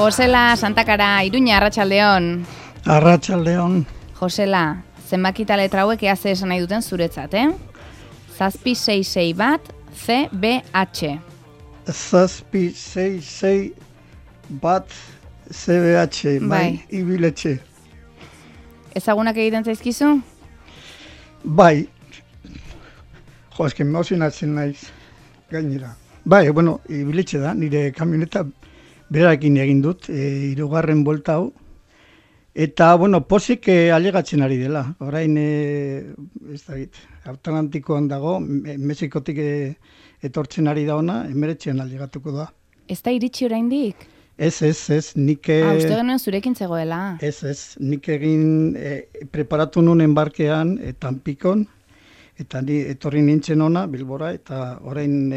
Josela Santakara, Iruña, Arratsaldeon. Arratsaldeon. Josela, zenbakita letra hauek ea ze esan nahi duten zuretzat, 7661 CBH. 7661 CBH, bai, ibiletxe. Ezagunak egiten zaizkizu? Bai. Jo, eski emozionatzen naiz gainera. Bai, bueno, ibiletxe da, nire kamioneta berarekin egin dut, 3. buelta hau. Eta, bueno, pozik alegatzen ari dela. Orain, ez da git, Atlantikoan dago, Mexikotik etortzen ari da ona, 19 alegatuko da. Ez da iritsi oraindik? Ez, nik... uste genuen zurekin zegoela. Ez, nik egin preparatu nuen embarkean, Tampikon, eta ni etorri nintzen ona, Bilbora, eta orain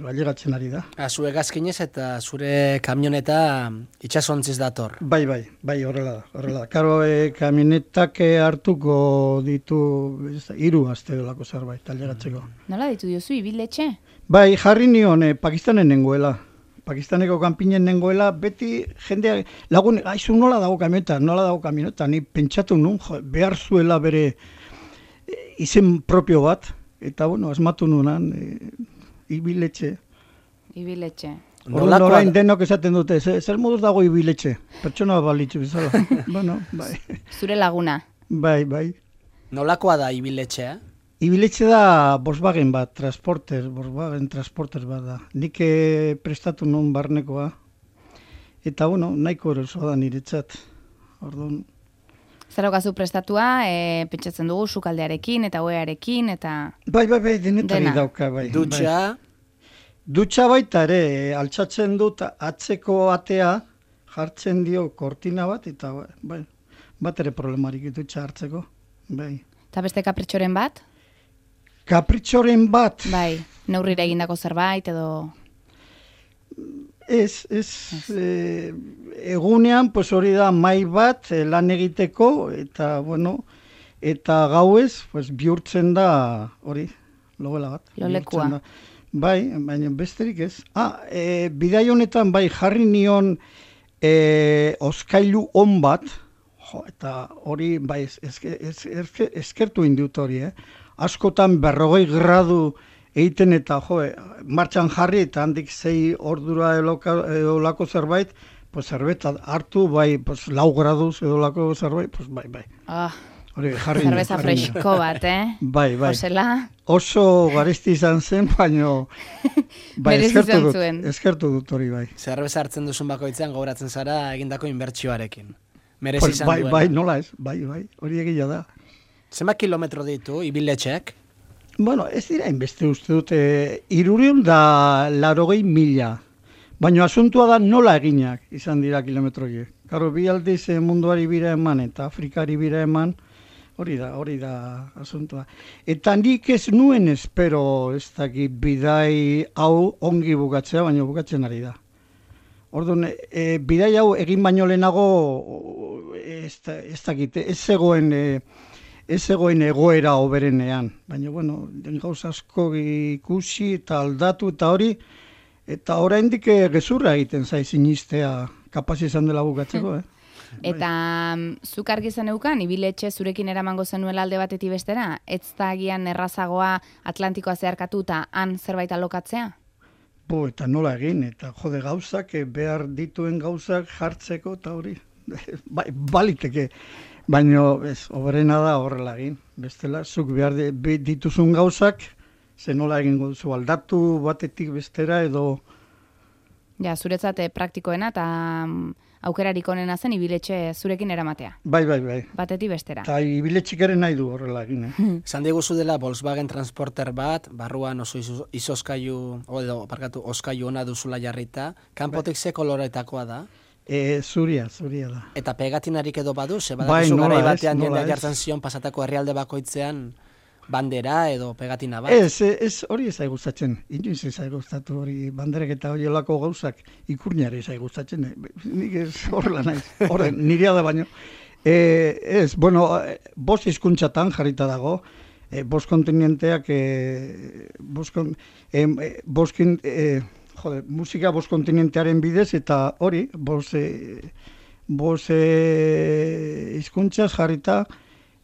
alegatzen ari da. Zure gazkinez eta zure kamioneta itxasontziz dator. Bai, horrela da. Karo, kamionetak hartuko ditu 3 aste dolako zerbait, alegatzeko. Nola ditu diozu, ibiletxe? Bai, jarri nion Pakistanen nengoela. Pakistaneko kanpinen nengoela, beti jendeak, lagun, aizu nola dago kamioneta, ni pentsatu nun, behar zuela bere izen propio bat, eta bueno, asmatu nunan, ibiletxe. Ibiletxe. Orain denok esaten dute, zer moduz dago ibiletxe? Pertsona balitzu bizala. Bueno, bai. Zure laguna. Bai. Nolakoa da ibiletxea? Ibiletxe da Volkswagen Transporter bat da. Nik prestatu nun barnekoa. Eta, bueno, nahiko erosoa da niretzat. Orduan. Zerokazu prestatua, pentsatzen dugu sukaldearekin eta oearekin eta... Bai, denetari dauka, bai. Dutxa? Dutxa baita ere, altxatzen dut atzeko atea, jartzen dio kortina bat, eta bai, bat ere problemarik dutxa hartzeko, bai. Eta beste kapritxoren bat? Kapritxoren bat? Bai, neurrira egindako zerbait edo... Ez, egunean, pues hori da mai bat lan egiteko, eta, bueno, eta gauez, pues bihurtzen da hori, logela bat. Lolekua. Bai, baina besterik ez. Bidai honetan, bai, jarri nion oskailu on bat, eta hori, bai, eskertu indut hori, askotan 40 gradu egiten eta martxan jarri eta handik 6 ordura edolako zerbait, pues zerbeta hartu, bai, pues 4 graduz edolako zerbait, pues bai. Hori, jarri. Zerbeza fresko bat, Bai. Josela. Oso garesti izan zen, baina bai, eskertu dut hori, bai. Zerbeza hartzen duzun bakoitzean gauratzen zara egindako inbertsioarekin. Merezi izan duena. Bai, nola ez, bai, hori egia da. Zenbat kilometro ditu, ibiletxeak? Bueno, ez dira inbeste uste dute, 380.000. Baina asuntua da nola eginak izan dira kilometroiek. Karo, bi aldiz munduari bira eman eta Afrikari bira eman, hori da asuntua. Eta nik ez nuen espero ez dakit bidai hau ongi bukatzea, baina bukatzen ari da. Orduan, bidai hau egin baino lehenago ez dakit, ez zegoen egoera oberenean, baina, bueno, gauz asko ikusi eta aldatu eta hori, eta oraindik gezurra egiten zaiz sinistea kapaz izan dela bukatzeko, Eta zuk argi zeneukan, ibiletxe zurekin eramango zenuela alde batetik bestera, ez da agian errazagoa Atlantikoa zeharkatu eta han zerbait alokatzea? Eta nola egin, eta jode gauzak, behar dituen gauzak jartzeko eta hori, baliteke. Baina, oberena da horrela egin. Bestela, zuk behar dituzun gauzak, ze nola egingo duzu aldatu batetik bestera edo... Ja, zuretzat praktikoena eta aukerarik onena zen ibiletxe zurekin eramatea. Bai. Batetik bestera. Eta ibiletxik ere nahi du horrela egin, Zan diguzu dela Volkswagen Transporter bat, barruan oso oskailu ona duzula jarrita, kanpotik ze koloretakoa da? Zuria da. Eta pegatinarik edo badu, ze badakizu garai batean jendeak jartzen zion pasatako herrialde bakoitzean bandera edo pegatina bat? Ez hori ez gustatzen, inoiz ez gustatu hori banderek eta horielako gauzak ikurniare ez gustatzen, nik ez horrela naiz, nirea da baino. Ez, bueno, 5 hizkuntzatan jarrita dago, 5 kontinenteak, musika bost kontinentearen bidez, eta hori, bost hizkuntzaz jarrita,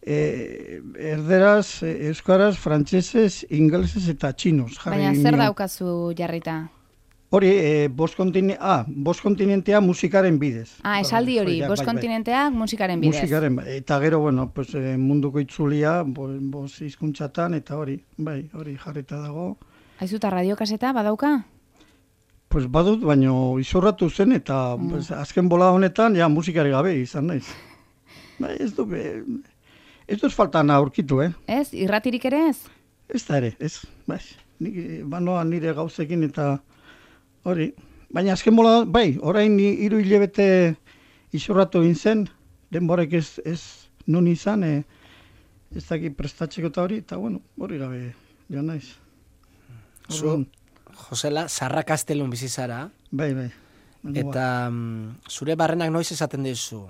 erderaz, euskaraz, frantsesez, ingelesez eta txinoz. Baina zer daukazu jarrita? Hori, bost kontinentea musikaren bidez. Esaldi hori, bost kontinenteak musikaren bidez. Eta gero, pues, munduko itzulia, bost hizkuntzatan, eta hori jarrita dago. Aizu, eta radiokaseta badauka? Pues badut, baino izorratu zen, eta azken bola honetan, musikari gabe izan naiz. Ez duz faltan aurkitu, Ez, irratirik ere ez? Ez da ere, ez. Banoa nire gauzekin eta hori. Baina azken bola, orain 3 hilabete izorratu gintzen, denborek ez nun izan, ez daki prestatzeko eta hori, eta hori gabe joan naiz. Zu, Josela, Sarra Kastelun bizizara. Bai. Eta zure barrenak noiz esaten dizu?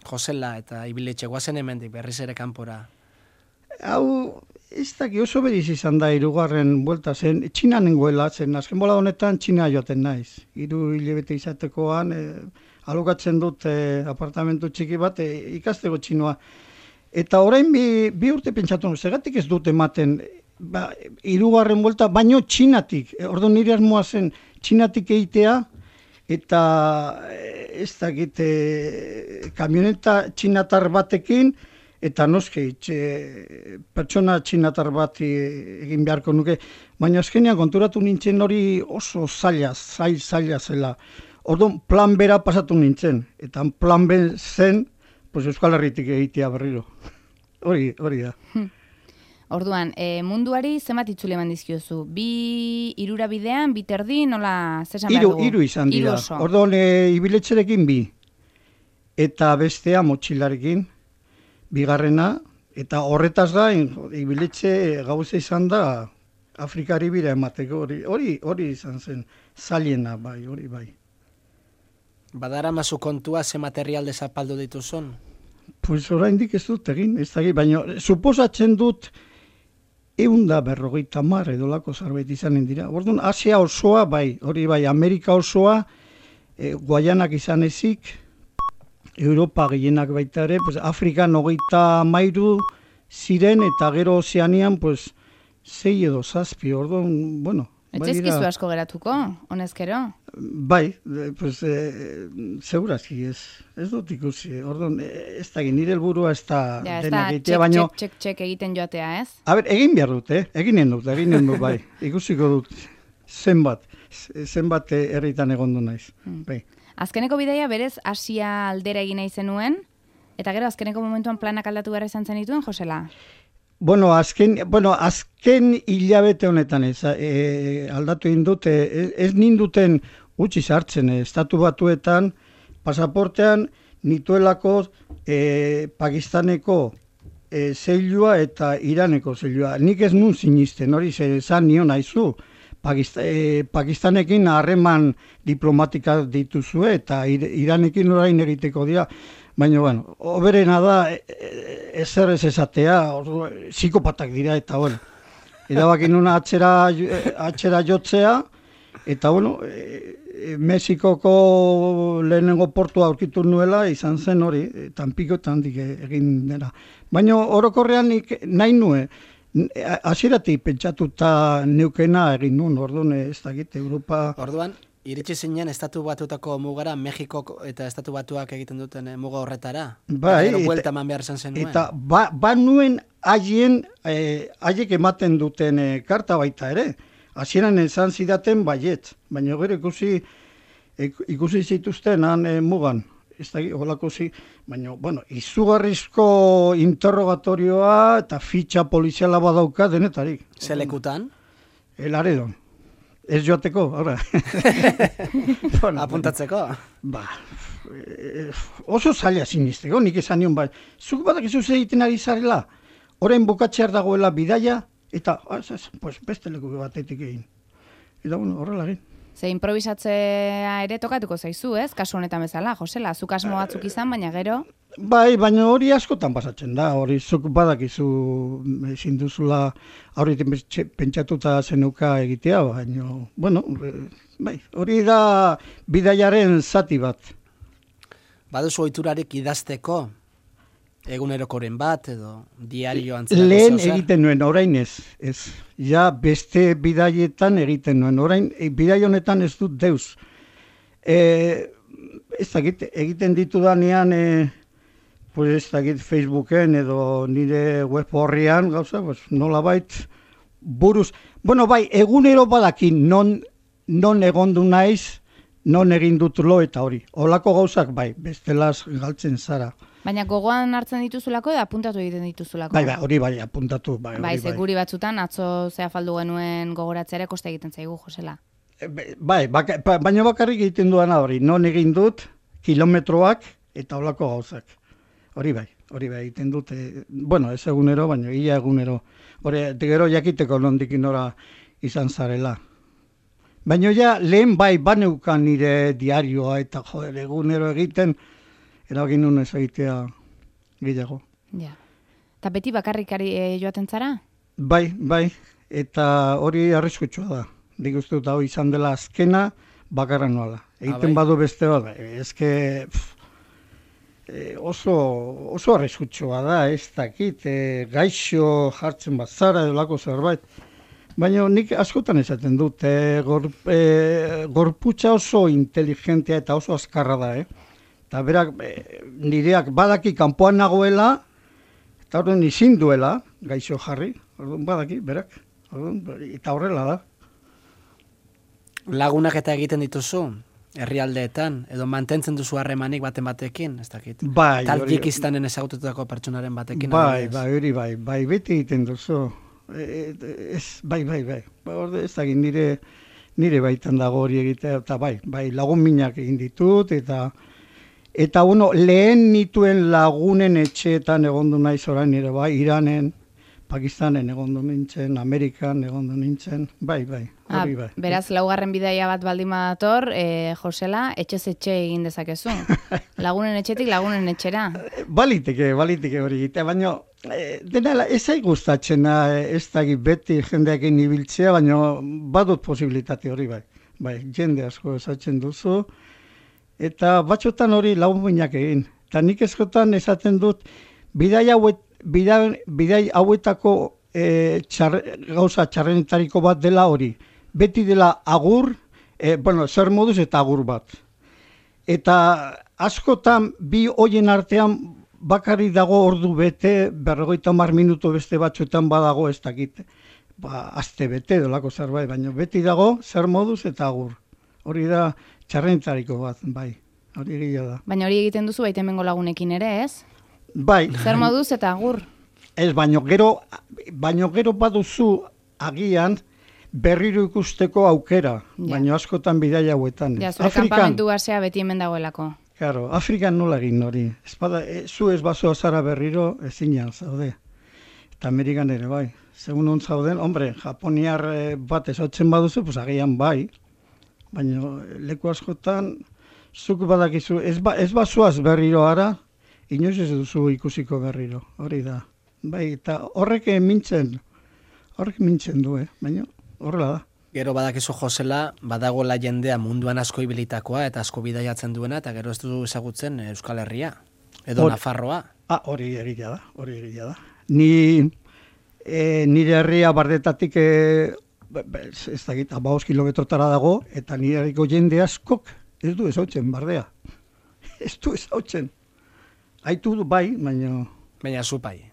Josela eta Ibiletxe, guazen hemendik berriz ere kanpora. Hau, ez daki oso beriz izan da 3. buelta zen, Txina nengoela zen, azken bola honetan Txina joaten naiz. 3 hilabete izatekoan, alokatzen dut apartamentu txiki bat, ikasteko txinoa. Eta orain bi urte pentsatu, segatik ez dut ematen, 3. buelta, baino Txinatik, ordu nire asmoa zen Txinatik egitea, eta ez dakit kamioneta txinatar batekin, eta noski, pertsona txinatar bat egin beharko nuke, baina azkenean konturatu nintzen hori oso zaila zela. Orduan plan bera pasatu nintzen, eta plan B zen, pues Euskal Herritik egitea berriro. Hori da. Orduan, munduari zenbat itzule eman dizkiozu? 2 irura bidean, 2 terdi, nola zesan behar dugu? 3 izan dira. Orduan, Ibiletxerekin 2. Eta bestea motxilarekin, 2. Eta horretaz gain, Ibiletxe gauza izan da, Afrikari bira emateko. Hori izan zen, zailena, hori bai. Badara mazu kontua ze material zapaldu dituzun? Pues oraindik ez dut egin, ez da, baina suposatzen dut 150 edolako zerbait izanen dira. Orduan, Asia osoa, hori bai, Amerika osoa, Guayanak izan ezik, Europa gehienak baita ere, pues, Afrikan 33 ziren, eta gero Ozeanian, pues, 6 edo 7, orduan, bueno. Etxezkizu asko geratuko, honezkero? Bai, pues, segurazki ez dut ikusi. Orduan, ez da nire helburua ez da denak egitea, baina... Txek egiten joatea, ez? Egin behar dut, eginen dut, bai. Ikusiko dut zenbat herritan egondu naiz. Bai. Azkeneko bidaia berez Asia aldera egin nahi zenuen, eta gero azkeneko momentuan planak aldatu behar izan zen dituen, Josela? Azken hilabete honetan aldatu egin dut, ez ninduten utzi sartzen, Estatu Batuetan, pasaportean nituelako Pakistaneko zeilua eta Iraneko zeilua. Nik ez nun sinisten, hori zan nion haizu. Pakistanekin harreman diplomatika dituzue eta Iranekin orain egiteko dira. Baina, oberena da, ezer ez esatea, psikopatak dira, eta, erabakin nuna atxera jotzea, eta, Mexikoko lehenengo portua aurkitu nuela, izan zen hori, Tampikotan egin dena. Baina, orokorrean nahi nuen, hasieratik pentsatuta neukena egin nuen, orduan, ez dakit, Europa... Orduan, iritsi zinen Estatu Batuetako mugara, Mexiko eta Estatu Batuak egiten duten muga horretara? Bai, buelta eman behar izan zenuen. Eta nuen haiek ematen duten karta baita ere. Hasieran esan zidaten baiet, baina gero ikusi zituzten han mugan. Ez da, holako baina, izugarrizko interrogatorioa eta fitxa poliziala badauka denetarik. Zelekutan? Laredon. Ez joateko, ora. Apuntatzeko? Oso zaila sinisteko, nik esan nion bai. Zuk badakizu egiten ari zarela, orain bukatzear dagoela bidaia, eta beste leku batetik egin. Eta horrela egin. Ze improvisatzea ere tokatuko zaizu, ez? Kasu honetan bezala, Josela, zuk asmo batzuk izan, baina gero... Bai, baina hori askotan pasatzen da, hori zuk badakizu ezin duzula aurretik pentsatuta zenuka egitea, baina, hori da bidaiaren zati bat. Baduzu ohiturarik idazteko, egunerokoren bat, edo diario antzerako Lehen egiten nuen, orain ez. Ja, beste bidaietan egiten nuen. Orain, bidai honetan ez dut deus. Ez dakit, egiten ditudanean, pues ez dakit Facebooken edo nire web horrian, gauza, pues nolabait buruz. Bueno, bai, egunero badakin non egondu naiz, non egin dut lo eta hori. Olako gauzak bai, bestelaz galtzen zara. Baina gogoan hartzen dituzulako edo apuntatu egiten dituzulako? Bai, hori bai, apuntatu. Bai, seguri batzutan, atzo zea faldu genuen gogoratzea koste egiten zaigu, Josela. Bai, baina bakarrik egiten duana hori, non egin dut, kilometroak eta olako gauzak. Hori bai, egiten dut, bueno, ez egunero, baina ia egunero. Hori, gero jakiteko nondik nora izan zarela. Baina ja, lehen bai, baneukan nire diarioa eta egunero egiten, eragin nun ez egitea gehiago. Ja. Eta beti bakarrikari joaten zara? Bai, eta hori arriskutsua da. Nik uste dut hau izan dela azkena bakarra noala. Egiten badu beste bat, ezke oso arriskutsua da, ez dakit, gaixo jartzen bat zara edo lako zerbait. Baina nik askotan esaten dut, gorputza oso inteligentea eta oso azkarra da, Eta berak, nireak badaki kanpoan nagoela, eta horren izin duela, gaixo jarri, badaki, berak, eta horrela da. Lagunak eta egiten dituzu, herrialdeetan, edo mantentzen duzu harremanik baten batekin, ez dakit. Bai, Tadjikistan ezagututako pertsonaren batekin. Bai, beti egiten duzu. Bai. Ez dakit, nire baitan dago hori egitea, eta bai, lagun minak egin ditut, eta lehen nituen lagunen etxeetan egondu naiz orain nire, bai, Iranen, Pakistanen egondu nintzen, Amerikan egondu nintzen, bai. Beraz, laugarren bidaia bat baldin badator, Josela, etxez etxe egin dezakezu. Lagunen etxetik, lagunen etxera. Baliteke hori egitea, baina dena ez zait gustatzen, ez dakit beti jendeakin ibiltzea, baina badut posibilitate hori bai. Bai, jende asko esatzen duzu, eta batxotan hori lagunminak egin. Eta nik eskotan esaten dut, bidai hauetako gauza txarrenetariko bat dela hori. Beti dela agur, zer moduz eta agur bat. Eta askotan bi hoien artean bakarrik dago ordu bete, 50 minutu beste batzuetan badago ez dakit. Aste bete dolako zerbait, baina beti dago zer moduz eta agur. Hori da txarrenetariko bat, bai. Hori egia da. Baina hori egiten duzu baita hemengo lagunekin ere, ez? Bai. Zer moduz eta agur? Ez, baino gero baduzu agian berriro ikusteko aukera, baino askotan bidaia hauetan. Ja, zure kanpamentu basea beti hemen dagoelako. Claro, Afrikan nola egin hori. Zu ez bazoa zara berriro ezinean zaude. Eta Amerikan ere bai. Segun on zauden, Japoniar bat ezautzen baduzu, pues agian bai. Baina leku askotan zuk badakizu, ez bazoaz berriro ara, inoiz ez duzu ikusiko berriro, hori da. Bai, eta horrek mintzen du, baina horrela da. Gero badakizu Josela, badagoela jendea munduan asko ibilitakoa eta asko bidaiatzen duena, eta gero ez du ezagutzen Euskal Herria, edo Nafarroa. Hori egia da. Nire herria Bardetatik, ez dakit, 15 kilometrotara dago, eta nire herriko jende askok ez du ezautzen Bardea. Ez du ezautzen. Aitu du bai, baina... Baina zupai.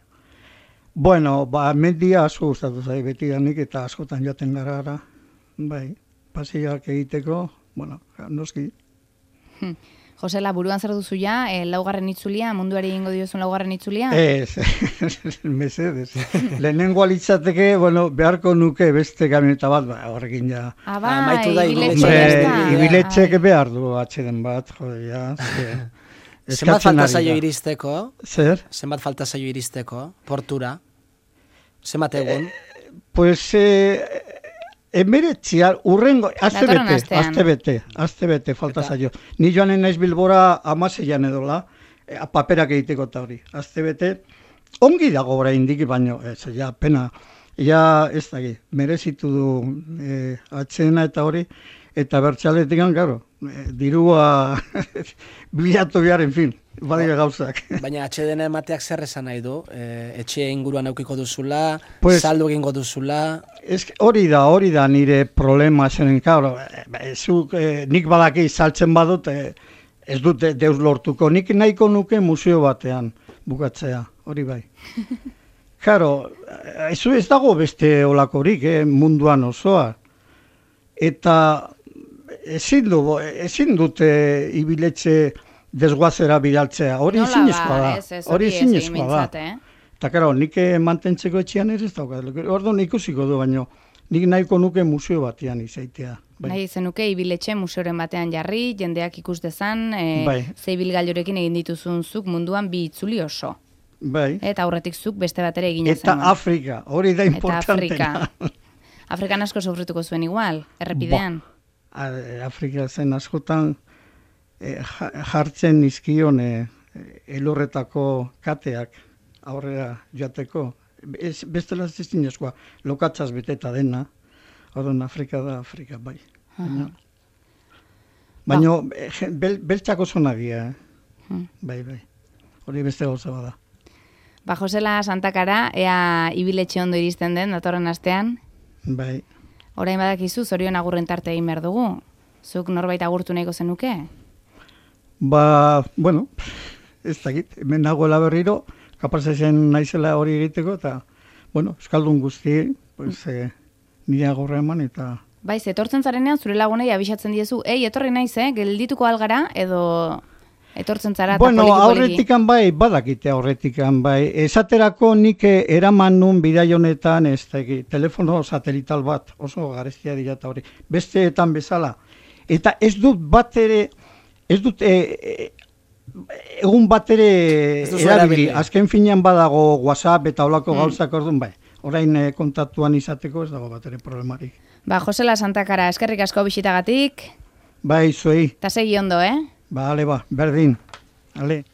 Bueno, mendia asko gustatu zai beti danik eta askotan joaten gara. Bai, pasiak egiteko, bueno, noski. Josela, buruan zer duzu ja, laugarren itzulia, munduari egingo diozun laugarren itzulia? Ez, mesedez. Lehenengo alitzateke, bueno, beharko nuke beste kamioneta bat, horrekin ja. Bai, ibiletxek behar du atxeden bat, jode, ja. Zenbat falta zaio iristeko? Zer? Zenbat falta zaio iristeko? Portura? Zenbat egun? Pues, emeretzia, urrengo, azte bete falta zaio. Ni joanen naiz Bilbora 16an edola, paperak egiteko eta hori. Azte bete, ongi dago oraindik, baino, ja, pena, ja, ez daki, merezitu du atxena eta hori, eta bertxaletik garo, dirua bilatu behar, en fin, badira gauzak. Baina atxeden emateak zer esan nahi du? Etxe inguruan aukiko duzula, Pues, saldu egingo duzula... Hori da nire problema zenen, karo, nik badaki saltzen badut, ez dute deus lortuko, nik nahiko nuke museo batean bukatzea, hori bai. Karo, ez dago beste olakorik, munduan osoa. Eta ezin dute ibiletxe desguazera bidaltzea, hori zinezkoa da. Hori zinezkoa da. Eta karo, nik mantentzeko etxean ez daukat. Orduan ikusiko du, baino nik nahiko nuke museo batean izaitea. Nahi zenuke ibiletxe museoren batean jarri, jendeak ikus dezan, ze ibilgailurekin egin dituzun zuk munduan bi itzuli oso. Bai. Eta aurretik zuk beste batera egina zenuen. Eta Afrika, hori da importantena. Afrikan asko sofrituko zuen igual, errepidean. Afrika zen askotan jartzen izkion elurretako kateak aurrera joateko. Bestela ez zinezkoa, lokatzaz beteta dena. Orduan Afrika da, Afrika, bai. Baina beltzako zonagia, bai. Hori beste gauza bada. Ba, Josela Santakara, ea ibiletxe ondo iristen den, datorren astean? Bai. Orain badakizu, zorion agurren tarte egin behar dugu. Zuk norbait agurtu nahiko zenuke? Ba, bueno, ez dakit, hemen nagoela berriro, kapazezen naizela hori egiteko, eta, bueno, euskaldun guzti, pues, nire agurra eman, eta... Bai, etortzen zarenean, zure lagunei abisatzen diezu, etorri naiz, geldituko algara, edo... Etortzen zara eta bueno, poliki-poliki. aurretikan bai, badakite aurretikan bai. Esaterako nik eraman nun bidai honetan, telefono satelital bat, oso garestia dira eta hori. Besteetan bezala. Eta ez dut bat ere, egun bat ere erabili. Azken finean badago WhatsApp eta olako gauzak orduan bai. Orain kontaktuan izateko ez dago bat ere problemarik. Ba, Josela Santakara, eskerrik asko bisitagatik. Bai, zuei. Ta segi ondo, Bale, berdin. Ale.